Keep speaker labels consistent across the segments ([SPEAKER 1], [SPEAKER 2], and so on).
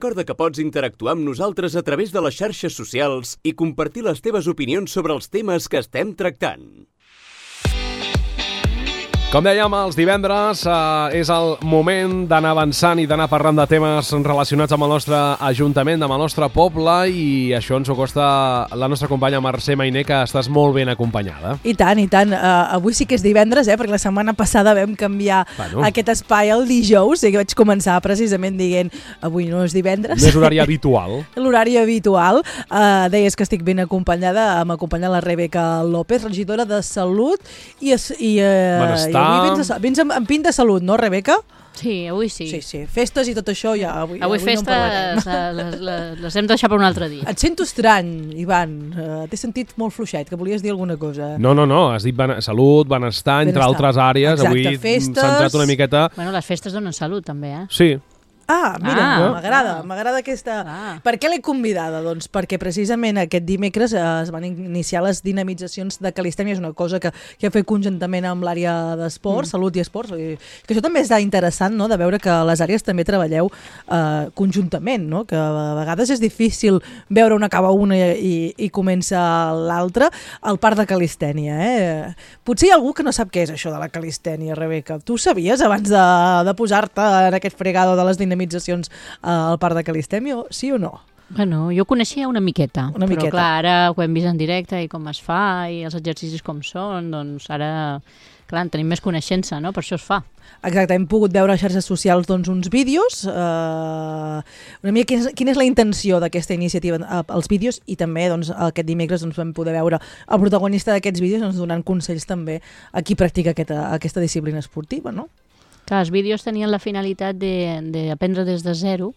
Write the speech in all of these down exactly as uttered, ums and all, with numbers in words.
[SPEAKER 1] Recorda que pots interactuar amb nosaltres a través de les xarxes socials i compartir les teves opinions sobre els temes que estem tractant.
[SPEAKER 2] Com dèiem, els divendres eh, és el moment d'anar avançant i d'anar parlant de temes relacionats amb el nostre ajuntament, amb el nostre poble, i això ens ho costa la nostra companya Mercè Mainer, que estàs molt ben acompanyada.
[SPEAKER 3] I tant, i tant. Uh, avui sí que és divendres, eh, perquè la setmana passada vam canviar bueno. aquest espai al dijous, i vaig començar precisament dient avui no és divendres.
[SPEAKER 2] No és horari habitual.
[SPEAKER 3] L'horari habitual. Uh, deies que estic ben acompanyada, m'acompanya la Rebeca López, regidora de Salut i... i uh, Avui vens, a, vens amb, amb pint de salut, no, Rebeca?
[SPEAKER 4] Sí, avui sí.
[SPEAKER 3] Sí, sí. Festes i tot això ja avui,
[SPEAKER 4] avui, avui festes no les, les, les hem de deixar per un altre dia.
[SPEAKER 3] Et sento estrany, Ivan. Uh, T'he sentit molt fluixet, que volies dir alguna cosa.
[SPEAKER 2] No, no, no. Has dit ben, salut, benestar, benestar, entre altres àrees.
[SPEAKER 3] Exacte,
[SPEAKER 2] avui
[SPEAKER 3] festes...
[SPEAKER 2] centrat una miqueta...
[SPEAKER 4] Bueno, les festes donen salut, també, eh?
[SPEAKER 2] Sí.
[SPEAKER 3] Ah, mira,
[SPEAKER 4] ah,
[SPEAKER 3] m'agrada,
[SPEAKER 4] ah.
[SPEAKER 3] m'agrada aquesta...
[SPEAKER 4] Ah.
[SPEAKER 3] Per què l'he convidada? Doncs perquè precisament aquest dimecres eh, es van iniciar les dinamitzacions de calistènia, és una cosa que, que ha fet conjuntament amb l'àrea d'esport, mm. salut i esports, i que això també és interessant, no?, de veure que les àrees també treballeu eh, conjuntament, no?, que a vegades és difícil veure on acaba una i, i comença l'altra, al parc de calistènia, eh? Potser hi ha algú que no sap què és això de la calistènia, Rebeca. Tu sabies abans de, de posar-te en aquest fregado de les dinamitzacions al parc de calistènia, sí o no?
[SPEAKER 4] Bueno, jo coneixia una miqueta,
[SPEAKER 3] una
[SPEAKER 4] però
[SPEAKER 3] miqueta.
[SPEAKER 4] clar, ara ho hem vist en directe i com es fa i els exercicis com són, doncs ara, clar, en tenim més coneixença, no? Per això es fa.
[SPEAKER 3] Exacte, hem pogut veure a xarxes socials doncs, uns vídeos, eh, una mica quina és, quina és la intenció d'aquesta iniciativa, els vídeos, i també doncs, aquest dimecres doncs, vam poder veure el protagonista d'aquests vídeos doncs, donant consells també a qui practica aquesta, aquesta disciplina esportiva, no?
[SPEAKER 4] Clar, els vídeos tenien la finalitat d'aprendre de, de des de zero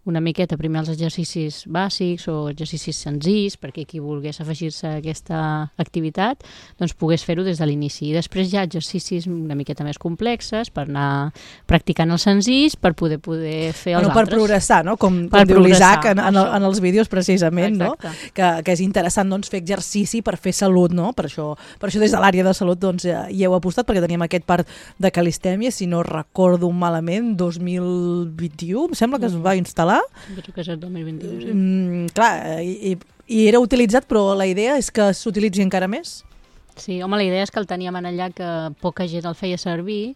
[SPEAKER 4] una miqueta primer els exercicis bàsics o exercicis senzills perquè qui volgués afegir-se a aquesta activitat doncs pogués fer-ho des de l'inici. I després hi ha exercicis una miqueta més complexes per anar practicant els senzills per poder poder fer els
[SPEAKER 3] bueno,
[SPEAKER 4] altres.
[SPEAKER 3] Per progressar, no? Com,
[SPEAKER 4] per
[SPEAKER 3] com diu l'Isaac en, en,
[SPEAKER 4] el,
[SPEAKER 3] en els vídeos precisament,
[SPEAKER 4] exacte.
[SPEAKER 3] No? Que, que és interessant doncs, fer exercici per fer salut, no? Per això, per això des de l'àrea de salut doncs, hi heu apostat perquè teníem aquest parc de calistènia, si no recordo malament, dos mil vint-i-u, em sembla que es va instal·lar.
[SPEAKER 4] Penso que és el dos mil vint-i-u, sí.
[SPEAKER 3] Mm, clar, i, i era utilitzat, però la idea és que s'utilitzi encara més?
[SPEAKER 4] Sí, home, la idea és que el teníem en allà que poca gent el feia servir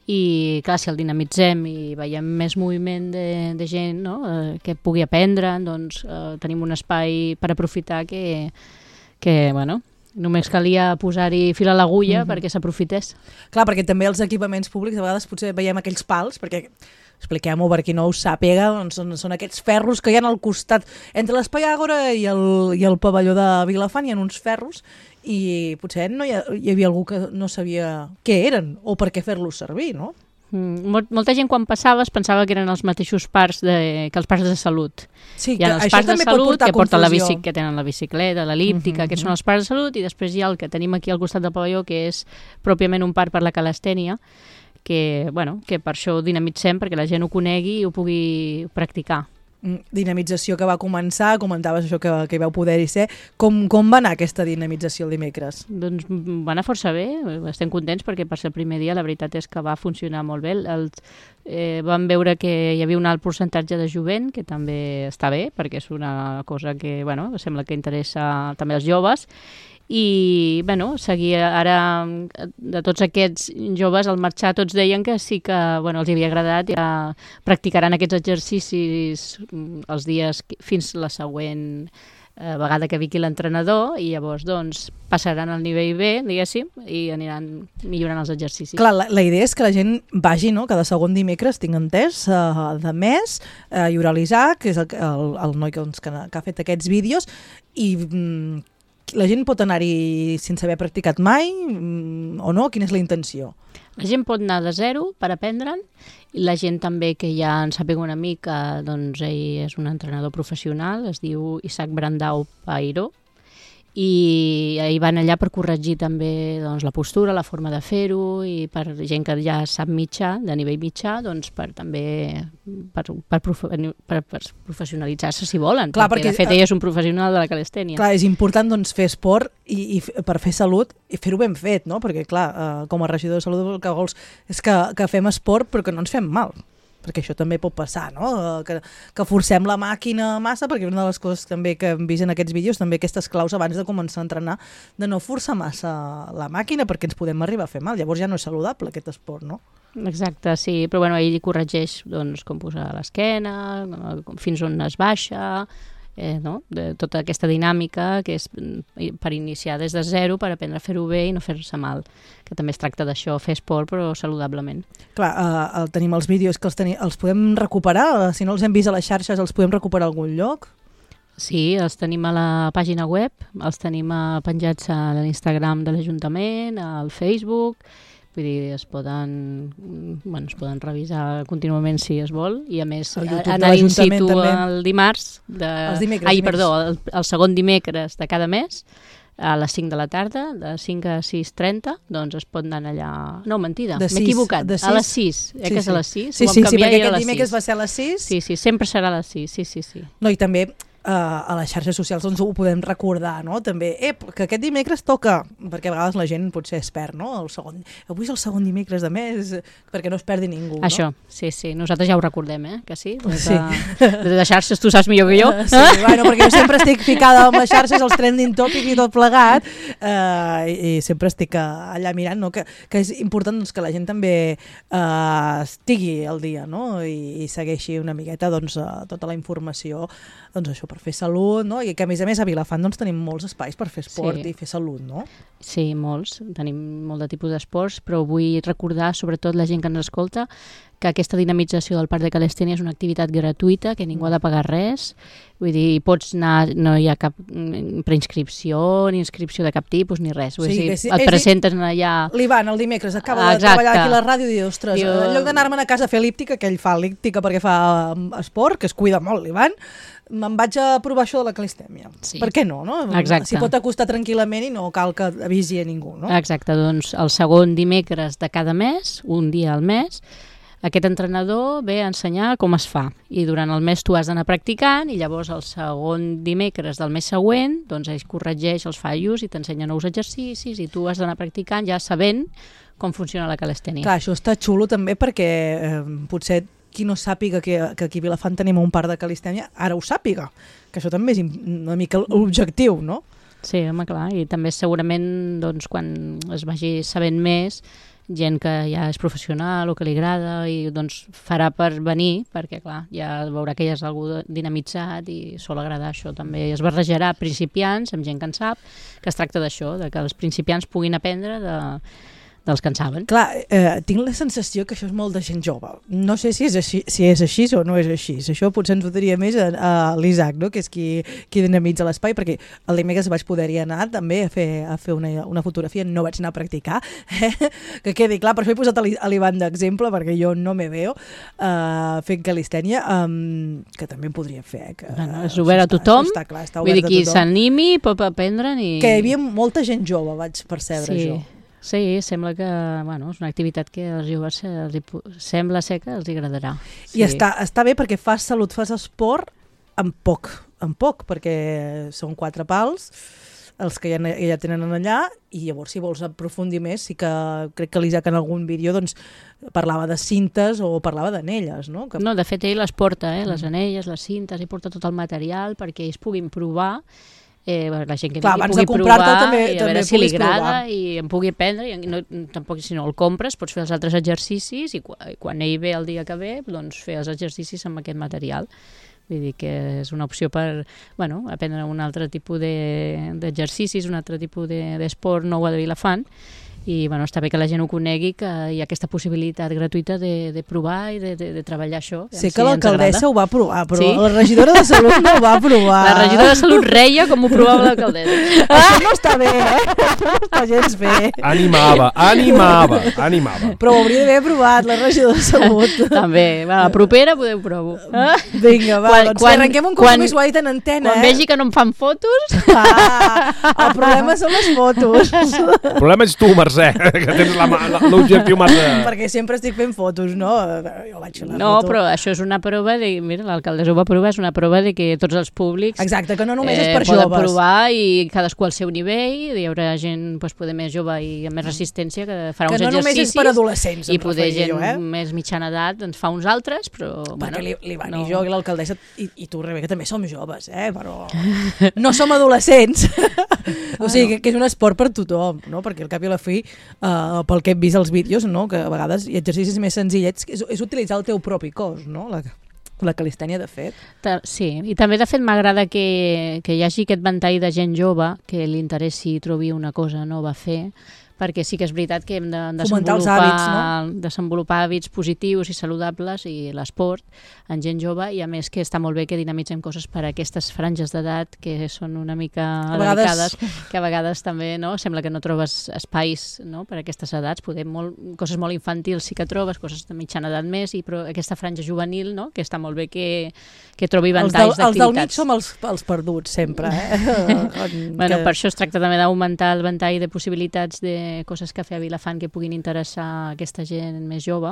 [SPEAKER 4] i, clar, si el dinamitzem i veiem més moviment de, de gent, no?, eh, que pugui aprendre, doncs eh, tenim un espai per aprofitar que, que bueno, només calia posar-hi fil a l'agulla mm-hmm. perquè s'aprofités. Clar,
[SPEAKER 3] perquè també els equipaments públics, a vegades potser veiem aquells pals, perquè expliquem-ho per qui no ho sàpiga, doncs són, són aquests ferros que hi ha al costat, entre l'Espai Àgora i el, i el pavelló de Vilafant, hi ha uns ferros i potser no hi, ha, hi havia algú que no sabia què eren o per què fer-los servir, no?
[SPEAKER 4] Mm, molt, molta gent quan passava es pensava que eren els mateixos parcs de, que els parcs de salut.
[SPEAKER 3] Sí,
[SPEAKER 4] hi ha els parcs de salut que porten la bici, que tenen la bicicleta, l'elíptica, uh-huh, aquests uh-huh. són els parcs de salut, i després hi ha el que tenim aquí al costat del pavelló, que és pròpiament un parc per la calistènia, que, bueno, que per això ho dinamitzem, perquè la gent ho conegui i ho pugui practicar.
[SPEAKER 3] Dinamització que va començar, comentaves això que, que hi vau poder-hi ser. Com, com va anar aquesta dinamització el dimecres?
[SPEAKER 4] Doncs va anar força bé, estem contents perquè per ser el primer dia la veritat és que va funcionar molt bé. El, eh, vam veure que hi havia un alt percentatge de jovent, que també està bé, perquè és una cosa que bueno, sembla que interessa també als joves. I, bueno, seguir ara de tots aquests joves al marxar tots deien que sí que bueno, els havia agradat i ja practicaran aquests exercicis els dies fins la següent eh, vegada que vingui l'entrenador i llavors doncs passaran al nivell B, diguéssim, i aniran millorant els exercicis.
[SPEAKER 3] Clar, la, la idea és que la gent vagi, no?, cada segon dimecres, tinc entès, uh, de mes, uh, hi haurà l'Isaac, que és el, el, el noi que, doncs, que, que ha fet aquests vídeos, i mm, la gent pot anar-hi sense haver practicat mai o no? Quina és la intenció?
[SPEAKER 4] La gent pot anar de zero per aprendre'n i la gent també que ja en sàpiga una mica, doncs ell és un entrenador professional, es diu Isaac Brandau Pairo, i hi van allà per corregir també doncs, la postura, la forma de fer-ho, i per gent que ja sap mitjà, de nivell mitjà, doncs per també per, per, per, per professionalitzar-se si volen,
[SPEAKER 3] clar,
[SPEAKER 4] perquè, perquè de fet ell és un professional de la calistènia.
[SPEAKER 3] Clar, és important doncs, fer esport i, i per fer salut i fer-ho ben fet, no? Perquè clar, eh, com a regidor de salut el que vols és que, que fem esport però que no ens fem mal. perquè això també pot passar, no? Que, que forcem la màquina massa, perquè una de les coses també que hem vist en aquests vídeos, també aquestes claus abans de començar a entrenar, de no forçar massa la màquina, perquè ens podem arribar a fer mal. Llavors ja no és saludable aquest esport, no?
[SPEAKER 4] Exacte, sí, però bueno, ell corregeix doncs, com posar l'esquena, fins on es baixa, eh, no? De tota aquesta dinàmica que és per iniciar des de zero, per aprendre a fer-ho bé i no fer-se mal, que també es tracta d'això, fer esport però saludablement.
[SPEAKER 3] Clar, eh, el, tenim els vídeos que els, teni, els podem recuperar, si no els hem vist a les xarxes els podem recuperar a algun lloc?
[SPEAKER 4] Sí, els tenim a la pàgina web, els tenim penjats a l'Instagram de l'Ajuntament, al Facebook, vull dir, es poden, bueno, es poden revisar contínuament si es vol, i a més anar in situ el dimarts, de,
[SPEAKER 3] els dimecres,
[SPEAKER 4] ai, perdó, el, el segon dimecres de cada mes, a les cinc de la tarda, de cinc a sis i trenta, doncs es pot anar allà... No, mentida, m'he equivocat, a les sis, eh,
[SPEAKER 3] sí,
[SPEAKER 4] que és
[SPEAKER 3] sí.
[SPEAKER 4] a les sis?
[SPEAKER 3] Sí, sí, sí, perquè aquest dimecres va ser a les sis.
[SPEAKER 4] Sí, sí, sempre serà a les sis, sí, sí, sí.
[SPEAKER 3] No, i també Uh, a les xarxes socials doncs ho podem recordar, no? També, eh, que aquest dimecres toca, perquè a vegades la gent potser es perd, no? El segon, avui és el segon dimecres de mes, perquè no es perdi ningú, no?
[SPEAKER 4] Això, sí, sí, nosaltres ja ho recordem, eh, que sí? Des
[SPEAKER 3] sí.
[SPEAKER 4] de, des de xarxes tu saps millor que jo.
[SPEAKER 3] Uh, sí, bueno, perquè jo sempre estic ficada amb les xarxes, els trending topics i tot plegat, uh, i, i sempre estic allà mirant, no? Que, que és important doncs, que la gent també uh, estigui al dia, no? I, i segueixi una miqueta doncs, uh, tota la informació, doncs això, per fer salut, no? I que a més a més a Vilafant doncs, tenim molts espais per fer esport sí. i fer salut, no?
[SPEAKER 4] Sí, molts. Tenim molt de tipus d'esports, però vull recordar, sobretot la gent que ens escolta, que aquesta dinamització del Parc de Calestènia és una activitat gratuïta, que ningú ha de pagar res. Vull dir, pots anar, no hi ha cap preinscripció, ni inscripció de cap tipus, ni res. Vull sí, dir, si, et presentes allà...
[SPEAKER 3] L'Ivan, el dimecres, acaba Exacte. de treballar aquí a la ràdio i diu, ostres, Diu... en lloc d'anar-me'n a casa a fer elíptica, que ell fa elíptica perquè fa esport, que es cuida molt l'Ivan, me'n vaig a provar això de la calistèmia. Sí. Per què no, no?
[SPEAKER 4] Exacte.
[SPEAKER 3] S'hi pot acostar tranquil·lament i no cal que avisi a ningú, no?
[SPEAKER 4] Exacte, doncs el segon dimecres de cada mes, un dia al mes, aquest entrenador ve a ensenyar com es fa. I durant el mes tu has d'anar practicant i llavors el segon dimecres del mes següent doncs ell corregeix els fallos i t'ensenya nous exercicis i tu has d'anar practicant ja sabent com funciona la calistènia.
[SPEAKER 3] Clar, això està xulo també perquè eh, potser qui no sàpiga que, que aquí a Vilafant tenim un parc de calistènia, ara ho sàpiga, que això també és una mica l'objectiu, no?
[SPEAKER 4] Sí, home, clar, i també segurament doncs, quan es vagi sabent més, gent que ja és professional o que li agrada i doncs farà per venir, perquè clar, ja veurà que ja és algú dinamitzat i sol agradar això també. Es barrejarà principiants amb gent que en sap, que es tracta d'això, de que els principiants puguin aprendre de... dels que en saben.
[SPEAKER 3] Clar, eh, tinc la sensació que això és molt de gent jove. No sé si és així, si és així o no és així. Això potser ens ho diria més a, a l'Isaac, no? Que és qui, qui dinamitza l'espai, perquè el dimecres vaig poder-hi anar també a fer, a fer una, una fotografia, no vaig anar a practicar, eh? Que quedi clar, per això he posat a l'Ivan d'exemple, perquè jo no me veo uh, fent calistènia, um, que també en podria fer. Eh? Que,
[SPEAKER 4] bueno, és obert a tothom,
[SPEAKER 3] està, clar, està
[SPEAKER 4] vull dir, qui s'animi pot aprendre. I...
[SPEAKER 3] Que hi havia molta gent jove, vaig percebre
[SPEAKER 4] sí.
[SPEAKER 3] jo.
[SPEAKER 4] Sí, sembla que bueno, és una activitat que als joves els hi, sembla ser que els agradarà. Sí.
[SPEAKER 3] I està, està bé perquè fas salut, fas esport amb poc, amb poc, perquè són quatre pals, els que ja, ja tenen allà, i llavors si vols aprofundir més, sí que crec que l'Isaac en algun vídeo doncs, parlava de cintes o parlava d'anelles, no? Que...
[SPEAKER 4] No, de fet ell les porta, eh? Les anelles, les cintes, i porta tot el material perquè ells puguin provar. Eh, la gent que
[SPEAKER 3] Clar,
[SPEAKER 4] pugui provar
[SPEAKER 3] també,
[SPEAKER 4] i a
[SPEAKER 3] també
[SPEAKER 4] veure si li agrada
[SPEAKER 3] provar.
[SPEAKER 4] I em pugui aprendre i no, tampoc si no el compres pots fer els altres exercicis i quan, quan ell ve el dia que ve doncs fer els exercicis amb aquest material. Vull dir que és una opció per bueno, aprendre un altre tipus d'exercicis, de, un altre tipus d'esport de, nou a de Vilafant. I bueno, està bé que la gent ho conegui, que hi ha aquesta possibilitat gratuïta de, de provar i de, de, de treballar això.
[SPEAKER 3] Sé que si l'alcaldessa ho va provar, però sí? La regidora de Salut no ho va provar.
[SPEAKER 4] La regidora de Salut reia com ho provava l'alcaldessa.
[SPEAKER 3] Això no està bé, eh? Això no està gens bé.
[SPEAKER 2] Animava, animava, animava.
[SPEAKER 3] Però ho hauria d'haver provat, la regidora de Salut.
[SPEAKER 4] També, va, la propera podeu provar. Ah?
[SPEAKER 3] Vinga, va, quan, doncs quan, arrenquem un compromís, ho ha dit en antena.
[SPEAKER 4] Quan
[SPEAKER 3] eh?
[SPEAKER 4] vegi que no em fan fotos...
[SPEAKER 3] Ah, el problema són les fotos.
[SPEAKER 2] El problema és tu, Mercè. sé, que tens l'objectiu massa...
[SPEAKER 3] Perquè sempre estic fent fotos, no? Jo vaig fer la
[SPEAKER 4] no,
[SPEAKER 3] foto.
[SPEAKER 4] però això és una prova de... Mira, l'alcaldessa ho va provar, és una prova de que tots els públics...
[SPEAKER 3] Exacte, que no només
[SPEAKER 4] eh,
[SPEAKER 3] és per
[SPEAKER 4] poden
[SPEAKER 3] joves.
[SPEAKER 4] provar i cadascú al seu nivell, hi haurà gent pues, poder més jove i amb més resistència que farà
[SPEAKER 3] que
[SPEAKER 4] uns
[SPEAKER 3] no
[SPEAKER 4] exercicis.
[SPEAKER 3] Que no només és per adolescents,
[SPEAKER 4] i poder gent
[SPEAKER 3] jo, eh?
[SPEAKER 4] més mitjana edat doncs fa uns altres, però...
[SPEAKER 3] Perquè
[SPEAKER 4] bueno,
[SPEAKER 3] l'Ivan
[SPEAKER 4] no.
[SPEAKER 3] i jo i l'alcaldessa, i, i tu, Rebeca, també som joves, eh? Però no som adolescents. O sigui, que, que és un esport per tothom, no? Perquè al cap i a la fi, uh, pel que hem vist als vídeos, no? Que a vegades hi ha exercicis més senzillets, és, és utilitzar el teu propi cos, no? La, la calistènia, de fet.
[SPEAKER 4] Ta sí, i també, de fet, m'agrada que, que hi hagi aquest ventall de gent jove que li interessi i trobi una cosa nova a fer, perquè sí que és veritat que hem de desenvolupar
[SPEAKER 3] hàbits, no?
[SPEAKER 4] desenvolupar hàbits positius i saludables i l'esport en gent jove, i a més que està molt bé que dinamitzem coses per a aquestes franges d'edat que són una mica
[SPEAKER 3] a vegades...
[SPEAKER 4] delicades, que a vegades també no sembla que no trobes espais, no? Per a aquestes edats, poder molt, coses molt infantils sí que trobes, coses de mitjana edat més, i però aquesta franja juvenil, no? Que està molt bé que, que trobi ventalls d'activitats.
[SPEAKER 3] Els del mig som els, els perduts sempre, eh?
[SPEAKER 4] Bueno,
[SPEAKER 3] que...
[SPEAKER 4] per això es tracta també d'augmentar el ventall de possibilitats de coses que fer a Vilafant que puguin interessar a aquesta gent més jove,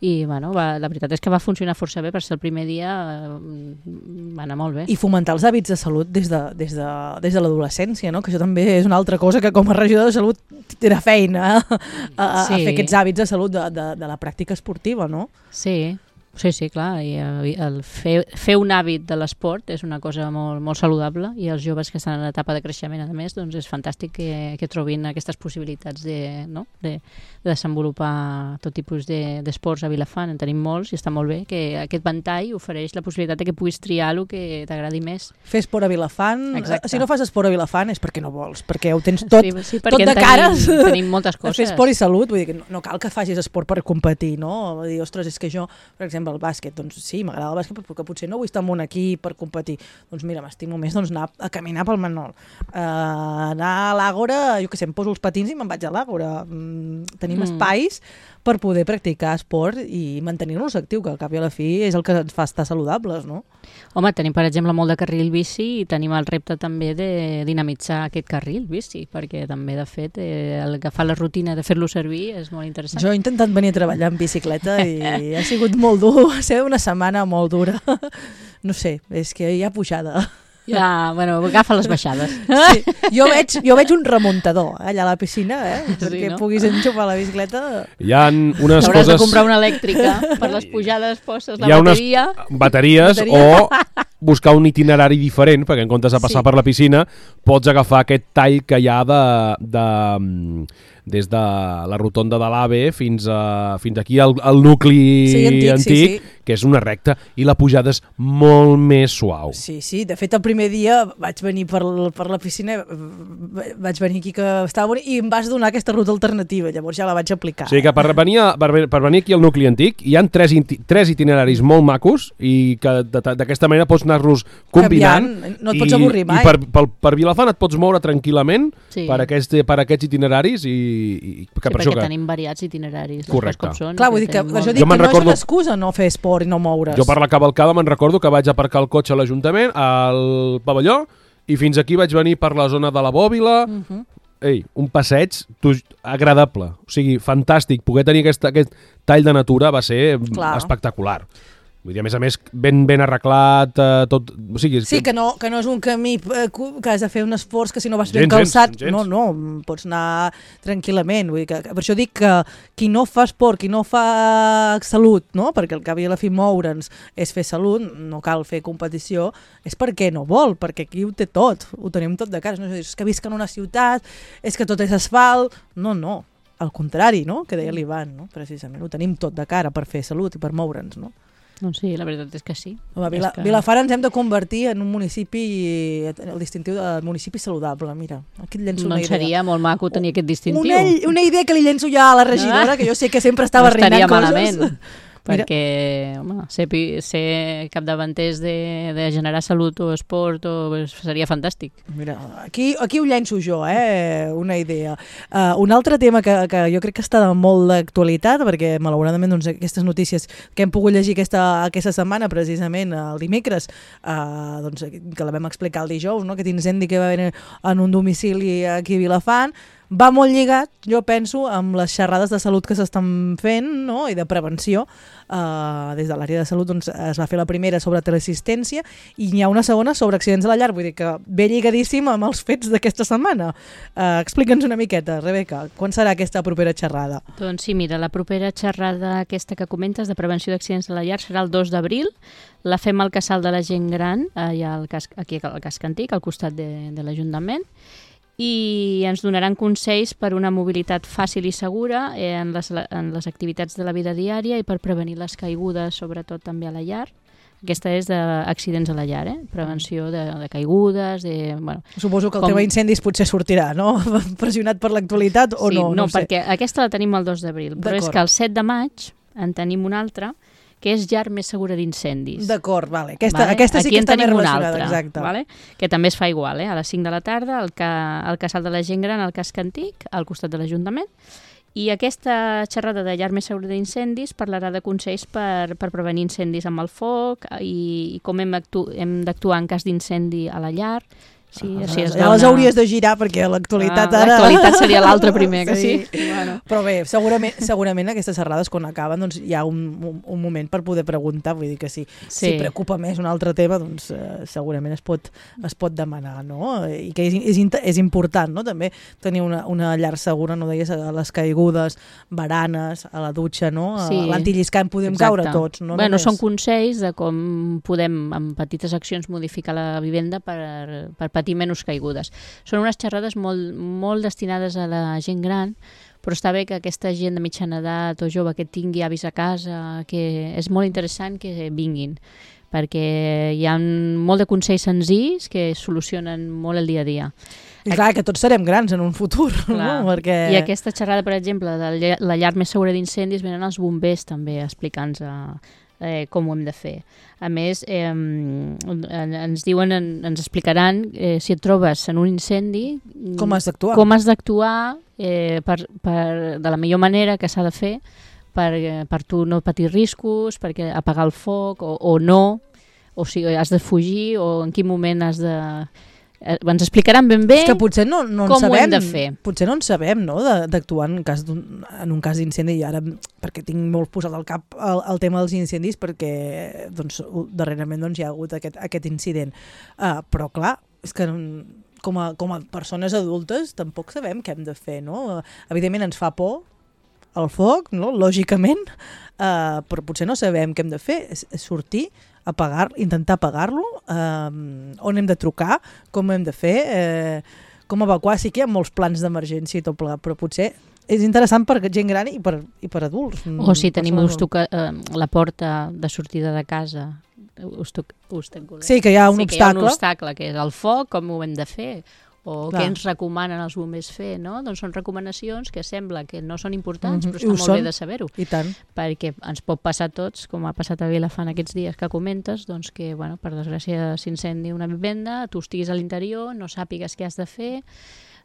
[SPEAKER 4] i bueno, va, la veritat és que va funcionar força bé, per ser el primer dia va anar molt bé.
[SPEAKER 3] I fomentar els hàbits de salut des de, des de, des de l'adolescència, no? Que això també és una altra cosa que com a regidor de salut era feina a, a,
[SPEAKER 4] sí.
[SPEAKER 3] a fer aquests hàbits de salut de, de, de la pràctica esportiva, no?
[SPEAKER 4] Sí, sí, sí, clar, i el fer, fer un hàbit de l'esport és una cosa molt, molt saludable, i els joves que estan en etapa de creixement, a més, doncs és fantàstic que, que trobin aquestes possibilitats de, no? de, de desenvolupar tot tipus d'esports de, a Vilafant. En tenim molts i està molt bé que aquest ventall ofereix la possibilitat de que puguis triar el que t'agradi més.
[SPEAKER 3] Fer esport a Vilafant,
[SPEAKER 4] exacte.
[SPEAKER 3] Si no fas esport a Vilafant és perquè no vols, perquè ho tens tot,
[SPEAKER 4] sí, sí,
[SPEAKER 3] tot de
[SPEAKER 4] tenim,
[SPEAKER 3] cares.
[SPEAKER 4] Tenim moltes coses.
[SPEAKER 3] Fer esport i salut, vull dir que no, no cal que facis esport per competir, no? Vull dir, ostres, és que jo, per exemple, el bàsquet, doncs sí, m'agrada el bàsquet, però que potser no vull estar en un equip per competir. Doncs mira, m'estimo més doncs, anar a caminar pel Manol. Uh, anar a l'Àgora, jo què sé, em poso els patins i me'n vaig a l'Àgora. Mm, tenim mm. espais per poder practicar esport i mantenir-nos actiu, que al cap i a la fi és el que ens fa estar saludables, no?
[SPEAKER 4] Home, tenim, per exemple, molt de carril bici i tenim el repte també de dinamitzar aquest carril bici, perquè també, de fet, eh, el que fa la rutina de fer-lo servir és molt interessant.
[SPEAKER 3] Jo he intentat venir a treballar en bicicleta i ha sigut molt dur, ha sigut una setmana molt dura. No sé, és que hi ha pujada.
[SPEAKER 4] Ja, bueno, agafa les baixades.
[SPEAKER 3] Sí, jo veig, jo veig un remuntador eh, allà a la piscina, eh, perquè
[SPEAKER 4] sí, no?
[SPEAKER 3] puguis enxufar la bicicleta.
[SPEAKER 2] Hi ha unes
[SPEAKER 4] Hauràs
[SPEAKER 2] coses...
[SPEAKER 4] de comprar una elèctrica per les pujades, poses la
[SPEAKER 2] Hi ha
[SPEAKER 4] bateria...
[SPEAKER 2] unes bateries
[SPEAKER 3] Bateria.
[SPEAKER 2] o buscar un itinerari diferent, perquè en comptes de passar
[SPEAKER 3] Sí.
[SPEAKER 2] per la piscina pots agafar aquest tall que hi ha de, de, des de la rotonda de l'AVE fins, a, fins aquí al, al nucli
[SPEAKER 3] Sí, antic,
[SPEAKER 2] antic,
[SPEAKER 3] sí, sí.
[SPEAKER 2] que és una recta, i la pujada és molt més suau.
[SPEAKER 3] Sí, sí, de fet el primer dia vaig venir per, per la piscina, vaig venir aquí que estava bonic i em vas donar aquesta ruta alternativa, llavors ja la vaig aplicar.
[SPEAKER 2] O sigui que per venir, a, per, per venir aquí al nucli antic hi han tres, tres itineraris molt macos i que d'aquesta manera pots anar-los combinant.
[SPEAKER 3] Canviant, no et pots avorrir mai.
[SPEAKER 2] I per, per, per Vilafant et pots moure tranquil·lament
[SPEAKER 4] Sí.
[SPEAKER 2] per, aquest, per aquests itineraris i, i que
[SPEAKER 4] Sí,
[SPEAKER 2] per
[SPEAKER 4] perquè
[SPEAKER 2] això que...
[SPEAKER 4] tenim variats itineraris.
[SPEAKER 2] Correcte.
[SPEAKER 4] Com són,
[SPEAKER 3] Clar, vull dir que,
[SPEAKER 4] tenim
[SPEAKER 3] per això
[SPEAKER 4] molt.
[SPEAKER 3] dic
[SPEAKER 2] Jo
[SPEAKER 3] que
[SPEAKER 2] me'n
[SPEAKER 3] no
[SPEAKER 2] recordo-
[SPEAKER 3] és una excusa no fer esport i no moure's.
[SPEAKER 2] Jo per la cavalcada me'n recordo que vaig aparcar el cotxe a l'Ajuntament, al pavelló, i fins aquí vaig venir per la zona de la Bòbila.
[SPEAKER 3] Uh -huh.
[SPEAKER 2] Ei, un passeig tu, agradable, o sigui, fantàstic. Poder tenir aquest, aquest tall de natura va ser
[SPEAKER 3] Clar.
[SPEAKER 2] espectacular. Vull dir, a més a més, ben, ben arreglat, eh, tot... O sigui,
[SPEAKER 3] Sí, que no, que no és un camí eh, que has de fer un esforç, que si no vas ben
[SPEAKER 2] Gens,
[SPEAKER 3] calçat,
[SPEAKER 2] gens, gens.
[SPEAKER 3] no, no, pots anar tranquil·lament. Vull dir que, per això dic que qui no fa esport, qui no fa salut, no? Perquè al cap i a la fi moure'ns és fer salut, no cal fer competició, és perquè no vol, perquè aquí ho té tot, ho tenim tot de cara. No és que visc en una ciutat, és que tot és asfalt... No, no, al contrari, no? Que deia l'Ivan, no? Precisament, ho tenim tot de cara per fer salut i per moure'ns, no?
[SPEAKER 4] Doncs sí, la veritat és que sí.
[SPEAKER 3] Home, Vila,
[SPEAKER 4] que...
[SPEAKER 3] Vilafant ens hem de convertir en un municipi, el distintiu de municipi saludable, mira. Aquí et llenço una
[SPEAKER 4] Doncs
[SPEAKER 3] idea.
[SPEAKER 4] seria molt maco tenir aquest distintiu.
[SPEAKER 3] Una, una idea que li llenço ja a la regidora,
[SPEAKER 4] Ah.
[SPEAKER 3] que jo sé que sempre estava
[SPEAKER 4] no estaria
[SPEAKER 3] arreglant coses.
[SPEAKER 4] malament.
[SPEAKER 3] Mira.
[SPEAKER 4] Perquè home, ser, pi- ser capdavanters de, de generar salut o esport o, pues, seria fantàstic.
[SPEAKER 3] Mira, aquí, aquí ho llenço jo, eh? Una idea. Uh, un altre tema que, que jo crec que està de molt d'actualitat, perquè malauradament doncs, aquestes notícies que hem pogut llegir aquesta, aquesta setmana, precisament el dimecres, uh, doncs, que la vam explicar el dijous, no? Aquest incendi que va haver en un domicili aquí a Vilafant, va molt lligat, jo penso, amb les xerrades de salut que s'estan fent, no? I de prevenció. Uh, des de l'àrea de salut doncs, es va fer la primera sobre teleassistència i n'hi ha una segona sobre accidents a la llar, vull dir que ve lligadíssim amb els fets d'aquesta setmana. Uh, Explica'ns una miqueta, Rebeca, quan serà aquesta propera xerrada?
[SPEAKER 4] Doncs sí, mira, la propera xerrada aquesta que comentes de prevenció d'accidents a la llar serà el dos d'abril. La fem al Casal de la Gent Gran, allà al cas, aquí al Casc Antic, al costat de, de l'Ajuntament, i ens donaran consells per una mobilitat fàcil i segura en les, en les activitats de la vida diària i per prevenir les caigudes, sobretot també a la llar. Aquesta és d'accidents a la llar, eh? Prevenció de, de caigudes, de... Bueno,
[SPEAKER 3] suposo que el
[SPEAKER 4] com...
[SPEAKER 3] tema incendis potser sortirà, no? Pressionat per l'actualitat o
[SPEAKER 4] sí,
[SPEAKER 3] no?
[SPEAKER 4] No,
[SPEAKER 3] no sé.
[SPEAKER 4] perquè aquesta la tenim el dos d'abril, però és que el set de maig en tenim una altra, que és llar més segura d'incendis.
[SPEAKER 3] D'acord, vale. Aquesta,
[SPEAKER 4] vale?
[SPEAKER 3] aquesta sí
[SPEAKER 4] Aquí
[SPEAKER 3] que està més
[SPEAKER 4] una
[SPEAKER 3] relacionada,
[SPEAKER 4] altra,
[SPEAKER 3] exacte.
[SPEAKER 4] Vale? Que també es fa igual, eh? A les cinc de la tarda, al, ca... al Casal de la Gent Gran, al Casc Antic, al costat de l'Ajuntament. I aquesta xerrada de llar més segura d'incendis parlarà de consells per, per prevenir incendis amb el foc i, i com hem, actu... hem d'actuar en cas d'incendi a la llar. Sí,
[SPEAKER 3] ah,
[SPEAKER 4] sí,
[SPEAKER 3] ja les hauries de girar perquè l'actualitat
[SPEAKER 4] ah,
[SPEAKER 3] ara...
[SPEAKER 4] L'actualitat seria l'altre primer, que sí.
[SPEAKER 3] sí.
[SPEAKER 4] Bueno.
[SPEAKER 3] Però bé, segurament, segurament aquestes xerrades quan acaben doncs, hi ha un, un, un moment per poder preguntar, vull dir que si, sí. si preocupa més un altre tema, doncs eh, segurament es pot, es pot demanar, no? I que és, és, és important, no? També tenir una, una llar segura, no deies, a les caigudes, baranes, a la dutxa, no? A
[SPEAKER 4] sí.
[SPEAKER 3] l'antilliscant podem
[SPEAKER 4] Exacte.
[SPEAKER 3] caure tots, no?
[SPEAKER 4] Bueno,
[SPEAKER 3] només.
[SPEAKER 4] Són consells de com podem, amb petites accions, modificar la vivenda per, per patir menys caigudes. Són unes xerrades molt, molt destinades a la gent gran, però està bé que aquesta gent de mitjana edat o jove que tingui avis a casa, que és molt interessant que vinguin, perquè hi ha molt de consells senzills que solucionen molt el dia a dia.
[SPEAKER 3] I clar, que tots serem grans en un futur,
[SPEAKER 4] clar.
[SPEAKER 3] No? Perquè...
[SPEAKER 4] I aquesta xerrada, per exemple, de la llar més segura d'incendis, venen els bombers també explicant-nos eh, com ho hem de fer. A més, eh, ens diuen, ens explicaran eh, si et trobes en un incendi,
[SPEAKER 3] com has d'actuar,
[SPEAKER 4] com has d'actuar eh, per, per, de la millor manera que s'ha de fer per, per tu no patir riscos, perquè apagar el foc o, o no, o si has de fugir o en quin moment has de... Ens explicaran ben bé
[SPEAKER 3] és que potser no, no
[SPEAKER 4] com
[SPEAKER 3] sabem,
[SPEAKER 4] ho hem de fer.
[SPEAKER 3] Potser no en sabem, no?, d'actuar en, cas en un cas d'incendi, i ara, perquè tinc molt posat al cap el, el tema dels incendis, perquè doncs, darrerament doncs, hi ha hagut aquest, aquest incident. Uh, però clar, és que com a, com a persones adultes tampoc sabem què hem de fer, no? Uh, evidentment ens fa por el foc, no?, lògicament, uh, però potser no sabem què hem de fer, és, és sortir, apagar, intentar apagar-lo, eh, on hem de trucar, com hem de fer, eh, com evacuar. Sí que hi ha molts plans d'emergència i tot plegat, però potser és interessant per gent gran i per, i per adults.
[SPEAKER 4] O si tenim us toca, eh, la porta de sortida de casa, us toc, us
[SPEAKER 3] sí, que hi ha un
[SPEAKER 4] sí,
[SPEAKER 3] obstacle.
[SPEAKER 4] Que hi ha un obstacle, que és el foc, com ho hem de fer, o
[SPEAKER 3] clar,
[SPEAKER 4] què ens recomanen els bombers fer, no? Doncs són recomanacions que sembla que no són importants,
[SPEAKER 3] mm-hmm,
[SPEAKER 4] però està molt
[SPEAKER 3] són,
[SPEAKER 4] bé de saber-ho.
[SPEAKER 3] I tant.
[SPEAKER 4] Perquè ens pot passar a tots, com ha passat a Vilafant aquests dies que comentes, doncs que, bueno, per desgràcia s'incendi una vivenda, tu estiguis a l'interior, no sàpigues què has de fer,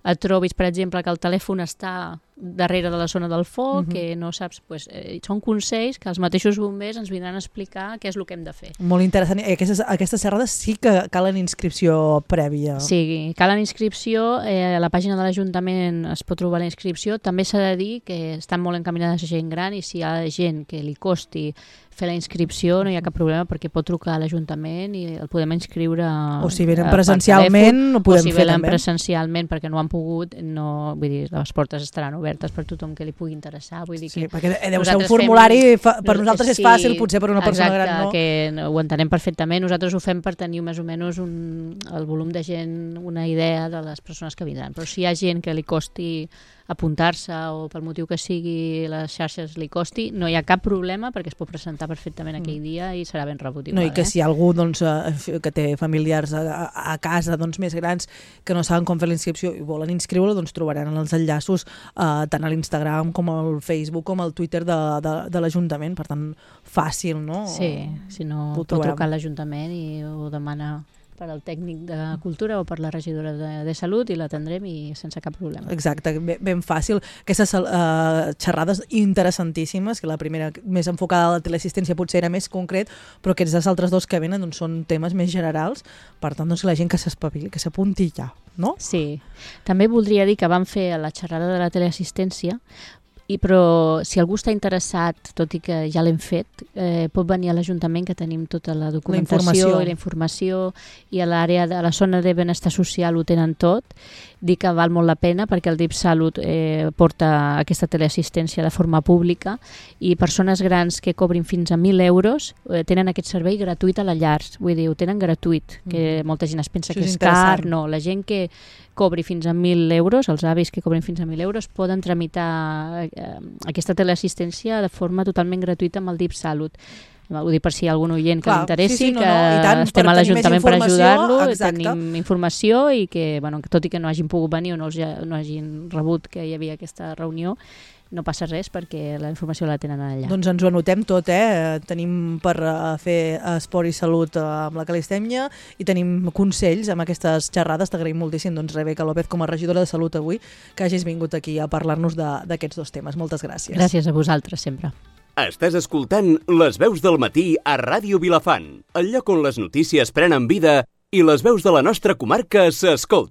[SPEAKER 4] et trobis, per exemple, que el telèfon està darrere de la zona del foc, uh-huh, que no saps... Pues, eh, són consells que els mateixos bombers ens vindran a explicar què és el que hem de fer.
[SPEAKER 3] Molt interessant. I aquestes, aquestes xerrades sí que calen inscripció prèvia.
[SPEAKER 4] Sí, calen inscripció. Eh, a la pàgina de l'Ajuntament es pot trobar la inscripció. També s'ha de dir que estan molt encaminades a gent gran i si hi ha gent que li costi fer la inscripció no hi ha cap problema perquè pot trucar a l'Ajuntament i el podem inscriure
[SPEAKER 3] o si venen presencialment ho podem fer també. O si
[SPEAKER 4] venen presencialment perquè no han pogut, no, vull dir, les portes estaran obertes per tothom que li pugui interessar. Vull dir que
[SPEAKER 3] sí, perquè deu ser un formulari, fem... per nosaltres és
[SPEAKER 4] sí,
[SPEAKER 3] fàcil, potser per una persona
[SPEAKER 4] exacte,
[SPEAKER 3] gran no.
[SPEAKER 4] Que ho entenem perfectament. Nosaltres ho fem per tenir més o menys un, el volum de gent, una idea de les persones que vindran. Però si hi ha gent que li costi apuntar-se o pel motiu que sigui les xarxes li costi, no hi ha cap problema perquè es pot presentar perfectament aquell dia i serà ben rebut igual.
[SPEAKER 3] No, i que
[SPEAKER 4] eh?
[SPEAKER 3] si algú doncs, que té familiars a, a casa doncs, més grans que no saben com fer la inscripció i volen inscriure, doncs trobaran els enllaços eh, tant a l'Instagram com al Facebook com al Twitter de, de, de l'Ajuntament, per tant fàcil, no?
[SPEAKER 4] Sí, si no pot trucar a l'Ajuntament i ho demana per al tècnic de cultura o per la regidora de, de salut i l'atendrem i sense cap problema.
[SPEAKER 3] Exacte, ben, ben fàcil. Aquestes uh, xerrades interessantíssimes, que la primera més enfocada a la teleassistència potser era més concret, però aquests dels altres dos que venen doncs, són temes més generals, per tant doncs, la gent que s'espavili, que s'apunti ja, no?
[SPEAKER 4] Sí. També voldria dir que vam fer la xerrada de la teleassistència, I, però si algú està interessat, tot i que ja l'hem fet, eh, pot venir a l'Ajuntament, que tenim tota la documentació la i la informació, i a l'àrea de la zona de benestar social ho tenen tot. Dir que val molt la pena perquè el D I P Salut eh, porta aquesta teleassistència de forma pública i persones grans que cobrin fins a mil euros eh, tenen aquest servei gratuït a la llar. Vull dir, ho tenen gratuït, que molta gent es pensa Això que és, és car. No, la gent que cobri fins a mil euros, els avis que cobrin fins a mil euros, poden tramitar eh, aquesta teleassistència de forma totalment gratuïta amb el D I P Salut. Ho dic per si hi ha algun oient que
[SPEAKER 3] Clar,
[SPEAKER 4] l'interessi,
[SPEAKER 3] sí, sí, no,
[SPEAKER 4] que
[SPEAKER 3] no, tant,
[SPEAKER 4] estem a l'Ajuntament per ajudar-lo, tenim informació i que, bueno, tot i que no hagin pogut venir o no, els, no hagin rebut que hi havia aquesta reunió, no passa res perquè la informació la tenen allà.
[SPEAKER 3] Doncs ens ho anotem tot, eh? Tenim per uh, fer esport i salut uh, amb la calistèmia i tenim consells amb aquestes xerrades. T'agraïm moltíssim, doncs, Rebeca López, com a regidora de Salut avui, que hagis vingut aquí a parlar-nos d'aquests dos temes. Moltes gràcies.
[SPEAKER 4] Gràcies a vosaltres, sempre.
[SPEAKER 1] Estàs escoltant Les veus del matí a Ràdio Vilafant, el lloc on les notícies prenen vida i les veus de la nostra comarca s'escolten.